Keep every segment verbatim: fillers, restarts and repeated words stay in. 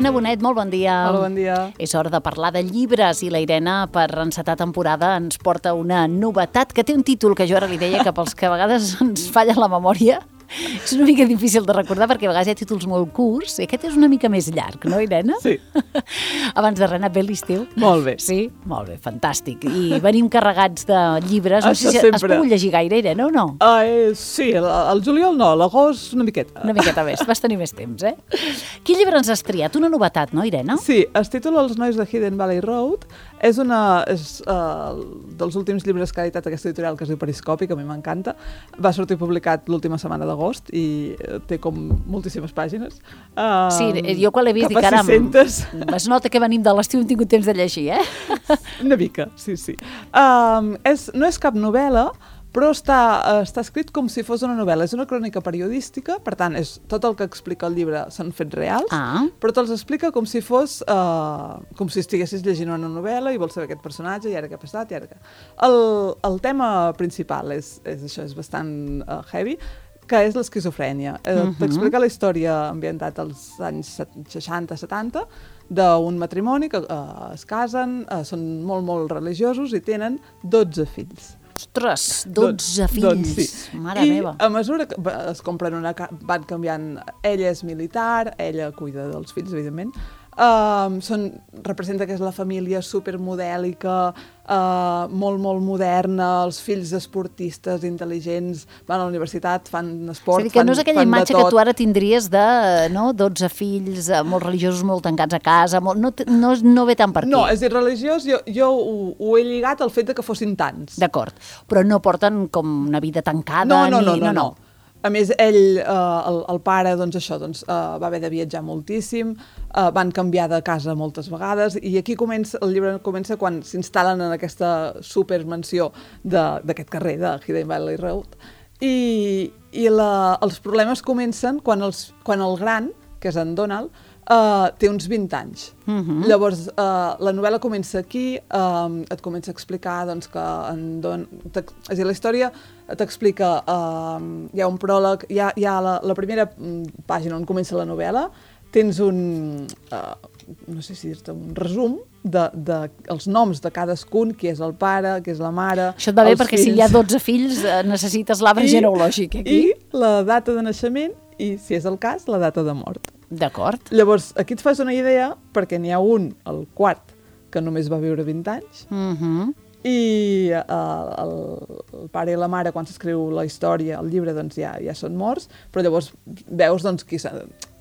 Irene Bonet, molt bon dia. Hola, bon dia. És hora de parlar de llibres i la Irene, per encetar temporada, ens porta una novetat que té un títol que jo ara li deia que pels que a vegades ens falla la memòria és una mica difícil de recordar perquè a vegades hi ha títols molt curts i aquest és una mica més llarg, no, Irene? Sí. Abans de res, bé l'estiu? Molt bé. Sí? Molt bé, fantàstic. I venim carregats de llibres. No Això sé si sempre. has pogut llegir gaire, Irene, o no? Uh, eh, sí, el, el juliol no, l'agost una miqueta. Una miqueta més, vas tenir més temps, eh? Quin llibre ens has triat? Una novetat, no, Irene? Sí, es titula Els nois de Hidden Valley Road. És una és, uh, dels últims llibres que ha editat aquesta editorial, que es diu Periscopi, que a mi m'encanta. Va sortir publicat l'última setmana d'agost i té com moltíssimes pàgines. Uh, Sí, jo quan l'he vist dic, caram, es nota que venim de l'estiu, hem tingut temps de llegir, eh? Una mica, sí, sí. Um, és, no és cap novel·la, però està, uh, està escrit com si fos una novel·la. És una crònica periodística, per tant, és, tot el que explica el llibre són fets reals, Ah. però te'ls explica com si fos, uh, com si estiguessis llegint una novel·la i vols saber aquest personatge, i ara què ha passat, i ara què... El, el tema principal és, és això, és bastant uh, heavy, que és l'esquizofrènia. Eh, Uh-huh. T'explica la història ambientat als anys seixanta setanta d'un matrimoni que uh, es casen, uh, són molt, molt religiosos i tenen dotze fills. Ostres, dotze fills, Doncs sí. mare I meva. a mesura que va- es compren una... ca- van canviant... Ella és militar, ella cuida dels fills, evidentment. Um, són, representa que és la família supermodèlica, uh, molt, molt moderna, els fills esportistes, intel·ligents, van a la universitat, fan esport, És a dir, que fan, no és aquella fan de imatge tot. que tu ara tindries de no, dotze fills, eh, molt religiosos, molt tancats a casa, molt, no, t- no, no ve tant per aquí. No, és dir, religiós, jo, jo ho, ho he lligat al fet de que fossin tants. D'acord, però no porten com una vida tancada No, no, ni... no, no, no. A més, ell, eh, el, el pare, doncs això, doncs, eh, va haver de viatjar moltíssim, eh, van canviar de casa moltes vegades, i aquí comença, el llibre comença quan s'instal·len en aquesta supermansió de- d'aquest carrer, de Hidden Valley Road, i, i la, els problemes comencen quan, els, quan el gran, que és en Donald, Uh, té uns vint anys. Mhm. Llavors, uh, la novel·la comença aquí, um, et comença a explicar doncs, que en Don... t'ex- És a dir, la història t'explica... Um, hi ha un pròleg, hi ha, hi ha la, la primera mm, pàgina on comença la novel·la, tens un... Uh, no sé si dir-te, un resum de, de els noms de cadascun, qui és el pare, qui és la mare... Això et va bé els perquè si hi ha dotze fills eh, necessites l'arbre I- genealògic aquí. I la data de naixement i, si és el cas, la data de mort. D'acord. Llavors, aquí et fas una idea, perquè n'hi ha un, el quart, que només va viure vint anys, Mhm. i uh, el, el pare i la mare, quan s'escriu la història, el llibre, doncs ja, ja són morts, però llavors veus doncs, qui s'ha...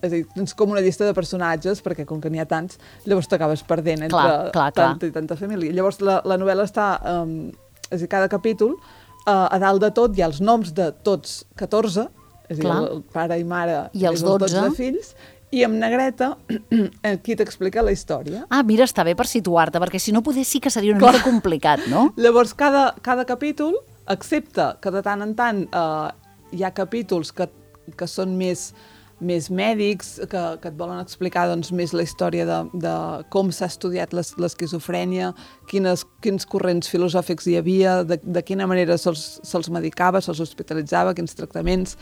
És a dir, tens com una llista de personatges, perquè com que n'hi ha tants, llavors t'acabes perdent entre Clar, clar, clar. tanta i tanta família. Llavors la, la novel·la està... Um, és a dir, cada capítol, uh, a dalt de tot hi ha els noms de tots catorze, és a dir, Clar. el pare i mare I els més dotze. fills, i amb negreta aquí t'explica la història. Ah, mira, està bé per situar-te, perquè si no poder sí que seria una Clar. mica complicat, no? Llavors, cada, cada capítol, excepte que de tant en tant eh, hi ha capítols que, que són més, més mèdics, que, que et volen explicar doncs, més la història de, de com s'ha estudiat l'es- l'esquizofrènia, quines, quins corrents filosòfics hi havia, de, de quina manera se'ls se'ls medicava, se'ls hospitalitzava, quins tractaments,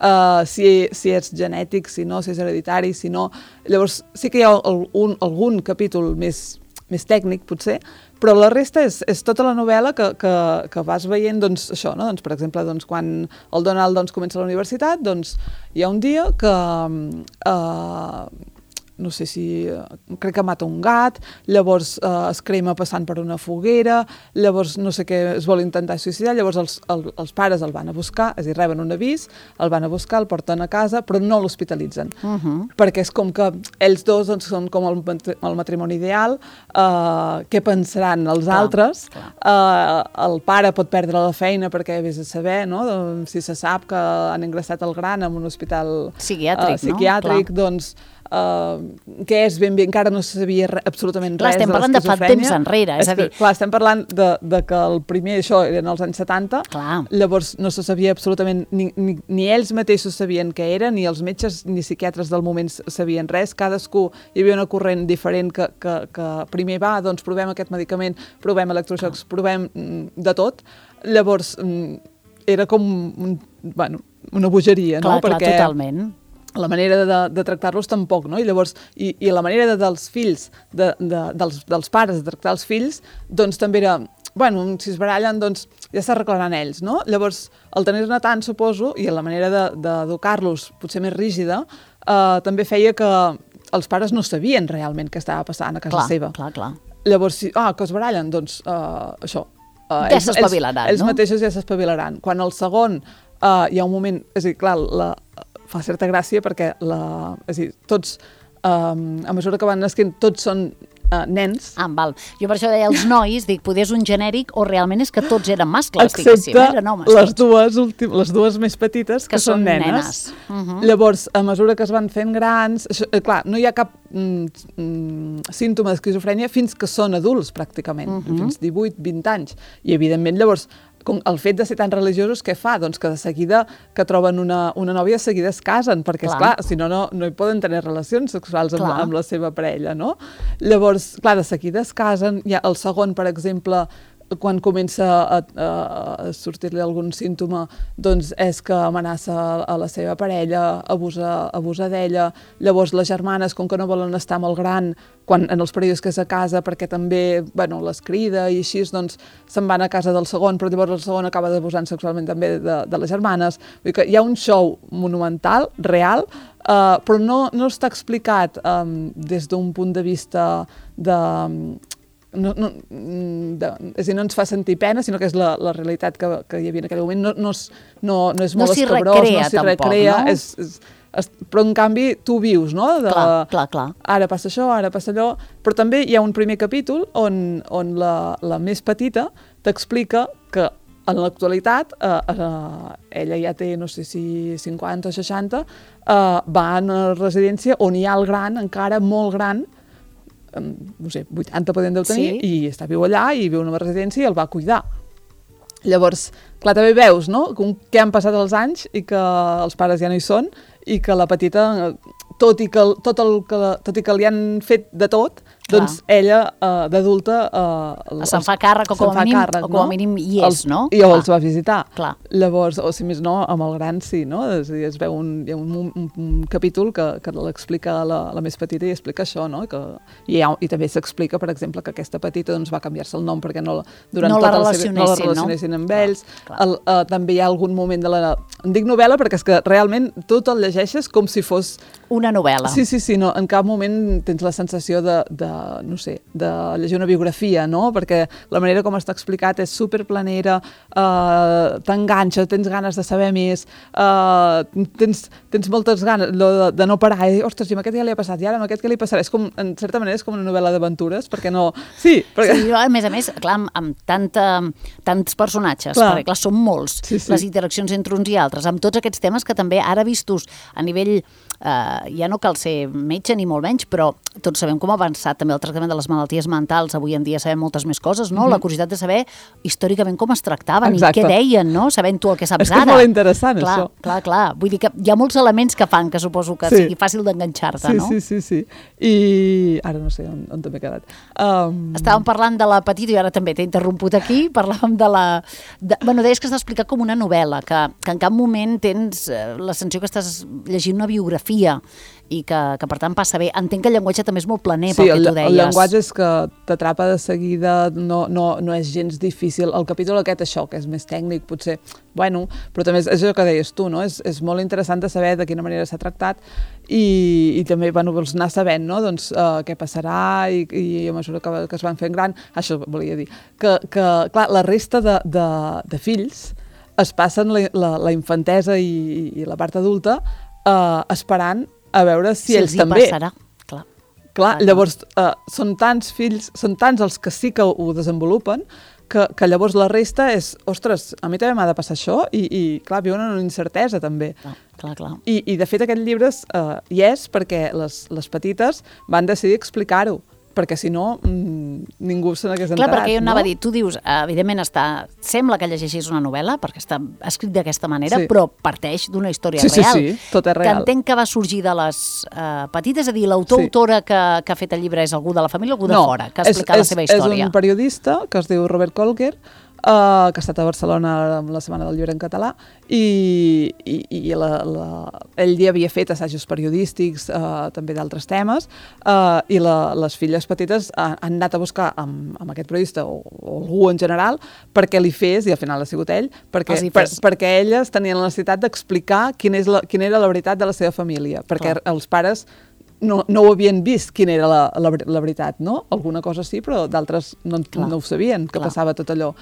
uh, si, si és genètic, si no, si és hereditari, si no... Llavors, sí que hi ha el, un, algun capítol més, més tècnic, potser, però la resta és, és tota la novel·la que, que, que vas veient, doncs, això, no? Doncs, per exemple, doncs, quan el Donald doncs, comença la universitat, doncs, hi ha un dia que... Eh, no sé si... crec que mata un gat, llavors eh, es crema passant per una foguera, llavors no sé què, es vol intentar suïcidar, llavors els, el, els pares el van a buscar, és a dir, reben un avís, el van a buscar, el porten a casa, però no l'hospitalitzen. Uh -huh. Perquè és com que ells dos doncs, són com el, matri- el matrimoni ideal, eh, què pensaran els Clar, altres? clar. Eh, el pare pot perdre la feina perquè vés a saber, no? Doncs, si se sap que han ingressat el gran en un hospital Psiquiàtric, eh, no? psiquiàtric, Clar. doncs Uh, què és ben bé, encara no se sabia re, absolutament Clar, res estem de parlant de fa l'esquizofrènia. temps enrere, és a dir- Clar, estem parlant de, de que el primer, això, eren els anys setanta, Clar. llavors no se sabia absolutament, ni, ni, ni ells mateixos sabien què era, ni els metges ni psiquiatres del moment sabien res, cadascú, hi havia una corrent diferent que, que, que primer va, doncs provem aquest medicament, provem electroxocs, provem mm, de tot, llavors mm, era com un, bueno, una bogeria, Clar, no? clar, Perquè totalment. la manera de, de tractar-los tampoc, no? I llavors, i, i la manera de, dels fills, de, de, dels, dels pares de tractar els fills, doncs també era, bueno, si es barallen, doncs ja s'arreglaran ells, no? Llavors, el tenir-ne tant, suposo, i la manera d'educar-los potser més rígida, eh, també feia que els pares no sabien realment què estava passant a casa clar, seva. Clar, clar. Llavors, si, ah, que es barallen, doncs uh, això. Uh, ja s'espavilaran, no? Ells mateixos ja s'espavilaran. Quan el segon uh, hi ha un moment, és a dir, clar, la, fa certa gràcia perquè la, és a dir, tots, um, a mesura que van nasquent, tots són uh, nens. Ah, val. Jo per això deia els nois, dic, poder és un genèric o realment és que tots eren mascles, excepte eren homes, les dues, últim, les dues més petites, que, que són nenes. nenes. Uh -huh. Llavors, a mesura que es van fent grans, això, eh, clar, no hi ha cap mm, mm, símptoma d'esquizofrènia fins que són adults, pràcticament, uh -huh. fins divuit vint anys. I, evidentment, llavors, com el fet de ser tan religiosos, què fa? Doncs que de seguida que troben una, una nòvia, de seguida es casen, perquè, clar. esclar, si no, no, no hi poden tenir relacions sexuals amb, amb la seva parella, no? Llavors, clar, de seguida es casen, ja el segon, per exemple, quan comença a, a, a sortir-li algun símptoma, doncs és que amenaça a la seva parella, abusa, abusa d'ella. Llavors les germanes, com que no volen estar amb el gran, quan, en els períodes que és a casa, perquè també, bueno, les crida i així, doncs se'n van a casa del segon, però llavors el segon acaba abusant sexualment també de, de les germanes. Vull dir que hi ha un show monumental, real, uh, però no, no està explicat um, des d'un punt de vista de... No, no, de, és a dir, no ens fa sentir pena, sinó que és la, la realitat que, que hi havia en aquell moment. No, no, és, no, no és molt no escabrós, recrea, no s'hi tampoc, recrea, no? és, és, és, però en canvi tu vius, no? De, clar, clar, clar. Ara passa això, ara passa allò, però també hi ha un primer capítol on, on la, la més petita t'explica que en l'actualitat eh, eh, ella ja té, no sé si cinquanta o seixanta, eh, va a una residència on hi ha el gran, encara molt gran, no sé, vuitanta podem deu tenir, sí. I està viu allà i viu en una residència i el va cuidar. Llavors, clar, també veus, no?, com que han passat els anys i que els pares ja no hi són i que la petita, tot i que, tot el que, tot i que li han fet de tot, clar. Doncs ella, uh, d'adulta... Uh, se'n fa càrrec o com a mínim, càrrec, o com a mínim hi és, els, no? I clar. Els va visitar. Clar. Llavors, o si més no, amb el gran sí, no? És a dir, es veu un, hi ha un, un, un capítol que, que l'explica la, la més petita i explica això, no? Que, i, ha, i també s'explica, per exemple, que aquesta petita doncs, va canviar-se el nom perquè no, durant no, tota la la seva, no la relacionessin no? amb ells. Clar, clar. El, uh, també hi ha algun moment de la... En dic novel·la perquè és que realment tu te'l llegeixes com si fos... Una novel·la. Sí, sí, sí, no, en cap moment tens la sensació de, de no sé, de llegir una biografia, no? Perquè la manera com està explicat és superplanera, uh, t'enganxa, tens ganes de saber més, uh, tens, tens moltes ganes de, de no parar, i, ostres, i amb aquest ja li ha passat, i ara amb aquest què li passarà? És com, en certa manera és com una novel·la d'aventures, perquè no... Sí, perquè... sí, a més a més, clar, amb, amb tanta, tants personatges, clar. Perquè clar, són molts, sí, sí. Les interaccions entre uns i altres, amb tots aquests temes que també ara vistos a nivell, eh, ja no cal ser metge ni molt menys, però tots sabem com ha avançat també el tractament de les malalties mentals, avui en dia sabem moltes més coses, no? Mm-hmm. La curiositat de saber històricament com es tractaven. Exacte. I què deien, no? Sabent tu el que saps és ara. És molt interessant, clar, això. Clar, clar, vull dir que hi ha molts elements que fan que suposo que sí. sigui fàcil d'enganxar-te, sí, no? Sí, sí, sí. I ara no sé on, on t'he quedat. Um... Estàvem parlant de la petita i ara també t'he interromput aquí, parlàvem de la... De... Bueno, deies que està explicat com una novel·la, que, que en cap moment tens la sensació que estàs llegint una biografia i que, que per tant passa bé. Entenc que el llenguatge també és molt planer, sí, pel que tu deies. Sí, el llenguatge és que t'atrapa de seguida, no, no, no és gens difícil. El capítol aquest, això, que és més tècnic, potser, bueno, però també és, és això que deies tu, no? És, és molt interessant de saber de quina manera s'ha tractat i, i també, bueno, vols anar sabent, no?, doncs, uh, què passarà i, i a mesura que, que es van fent gran, això volia dir, que, que clar, la resta de, de, de fills es passen la, la, la infantesa i, i la part adulta uh, esperant a veure si, si ells també. Passarà. Clar. Clar, llavors uh, són tants fills, són tants els que sí que ho desenvolupen, que, que llavors la resta és, ostres, a mi també m'ha de passar això, i, i clar, viuen en una incertesa també. Clar, clar, clar. I, i de fet aquest llibre uh, hi és perquè les, les petites van decidir explicar-ho, perquè si no mmm, ningú se n'hagués enterat. Clar, perquè jo anava no? a dir, tu dius, evidentment està, sembla que llegeixis una novel·la, perquè està escrit d'aquesta manera, sí. Però parteix d'una història sí, real. Sí, sí, tot és real. Que entenc que va sorgir de les uh, petites, és a dir, l'autor-autora sí. que, que ha fet el llibre és algú de la família o algú de no, fora, que ha explicat és, la seva història? És un periodista que es diu Robert Colker, uh, que ha estat a Barcelona la Setmana del Llibre en català, i, i, i la, la, ell ja havia fet assajos periodístics, uh, també d'altres temes, uh, i la, les filles petites han, han anat a buscar amb, amb aquest periodista, o, o algú en general, perquè li fes, i al final ha sigut ell, perquè, per, perquè elles tenien la necessitat d'explicar quina, és la, quina era la veritat de la seva família, perquè Clar. els pares no, no ho havien vist quina era la, la, la veritat, no? Alguna cosa sí, però d'altres no, no ho sabien, que Clar. passava tot allò.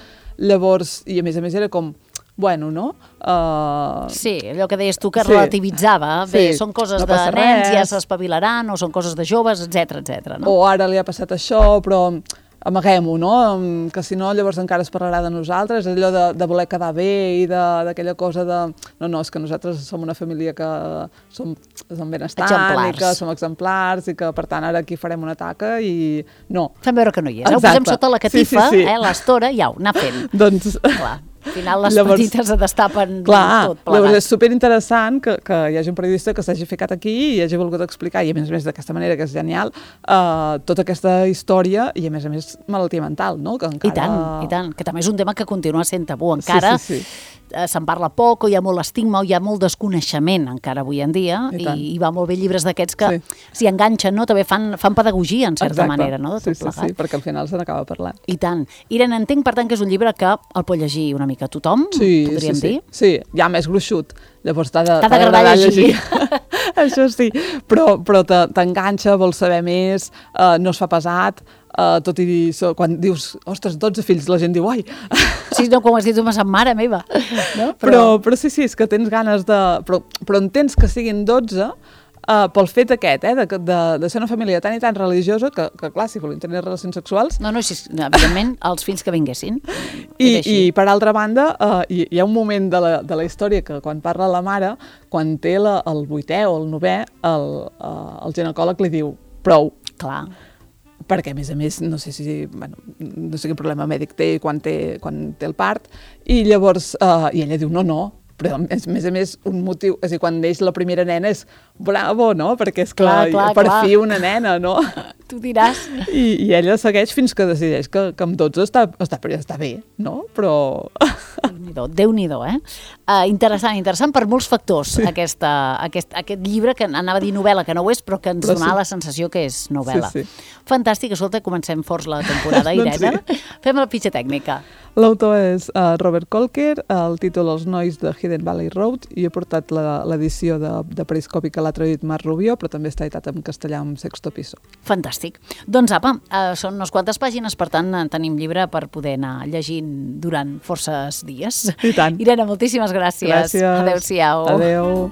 Llavors, i a més a més era com, bueno, no? Uh... Sí, allò que deies tu que sí. relativitzava. Bé, sí. són coses no de nens, res. ja s'espavilaran, o són coses de joves, etcètera, etcètera. No? O ara li ha passat això, però amaguem-ho, no? Que si no llavors encara es parlarà de nosaltres, allò de, de voler quedar bé i d'aquella cosa de... No, no, és que nosaltres som una família que som, som benestant exemplars. i que som exemplars i que per tant ara aquí farem una taca i no. Fem veure que no hi és. Ho posem sota la catifa, sí, sí, sí. eh, l'estora, i au, anar fent. Doncs... Clar. Al final les llavors, petites es destapen clar, tot plegat. Llavors és superinteressant que, que hi hagi un periodista que s'hagi ficat aquí i hagi volgut explicar, i a més a més d'aquesta manera que és genial, uh, tota aquesta història i a més a més malaltia mental, no? Que encara... I tant, i tant, que també és un tema que continua sent tabú encara. Sí, sí, sí. Se'n parla poc, o hi ha molt estigma, o hi ha molt desconeixement encara avui en dia, i, i, i va molt bé llibres d'aquests que sí. s'hi enganxen, no? També fan, fan pedagogia, en certa Exacte. manera, no? De tot sí, sí, plegat. sí, perquè al final se n'acaba parlant. I tant. Irene, entenc, per tant, que és un llibre que el pot llegir una mica tothom, sí, podríem sí, dir? Sí, sí, ja més gruixut, llavors t'ha d'agradar llegir. llegir. Això sí, però, però t'enganxa, vols saber més, uh, no es fa pesat, uh, tot i so, quan dius, ostres, dotze fills, la gent diu, ai... Sí, no, com has dit tu, m'ha mare meva. No? Però... Però, però sí, sí, és que tens ganes de... Però, però entens que siguin dotze uh, pel fet aquest, eh, de, de, de ser una família tan i tan religiosa que, que clar, si volien tenir relacions sexuals... No, no, sí, evidentment, els fills que vinguessin. I, i per altra banda, uh, hi, hi ha un moment de la, de la història que quan parla la mare, quan té la, el vuitè o el novè, el, uh, el ginecòleg li diu, prou. Clar. Perquè, a més a més, no sé si bueno, no sé quin problema mèdic té quan té, quan té el part, i llavors, uh, i ella diu, no, no, però a més a més un motiu, és a dir, quan neix la primera nena és bravo, no? Perquè és clar, clar, clar per clar. fi una nena, no? Tu diràs. I, i ella segueix fins que decideix que, que amb dotze està, està, està bé, no? Però... Déu-n'hi-do, Déu-n'hi-do, eh? Uh, interessant, interessant per molts factors, sí. aquesta, aquest, aquest llibre, que anava a dir novel·la, que no ho és, però que ens però donava sí. la sensació que és novel·la. Sí, sí. Fantàstic, escolta, comencem forts la temporada, Irene. Doncs sí. Fem la pitxa tècnica. L'autor és uh, Robert Kolker, el títol Els nois de Hidden Valley Road, i he portat l'edició de, de Periscopi que l'ha traduït Marc Rubió, però també està editat en castellà amb Sexto Piso. Fantàstic. Doncs apa, uh, són unes quantes pàgines, per tant tenim llibre per poder anar llegint durant forces dies. I tant. Irene, moltíssimes gràcies. Gràcies. Adéu-siau. Adéu.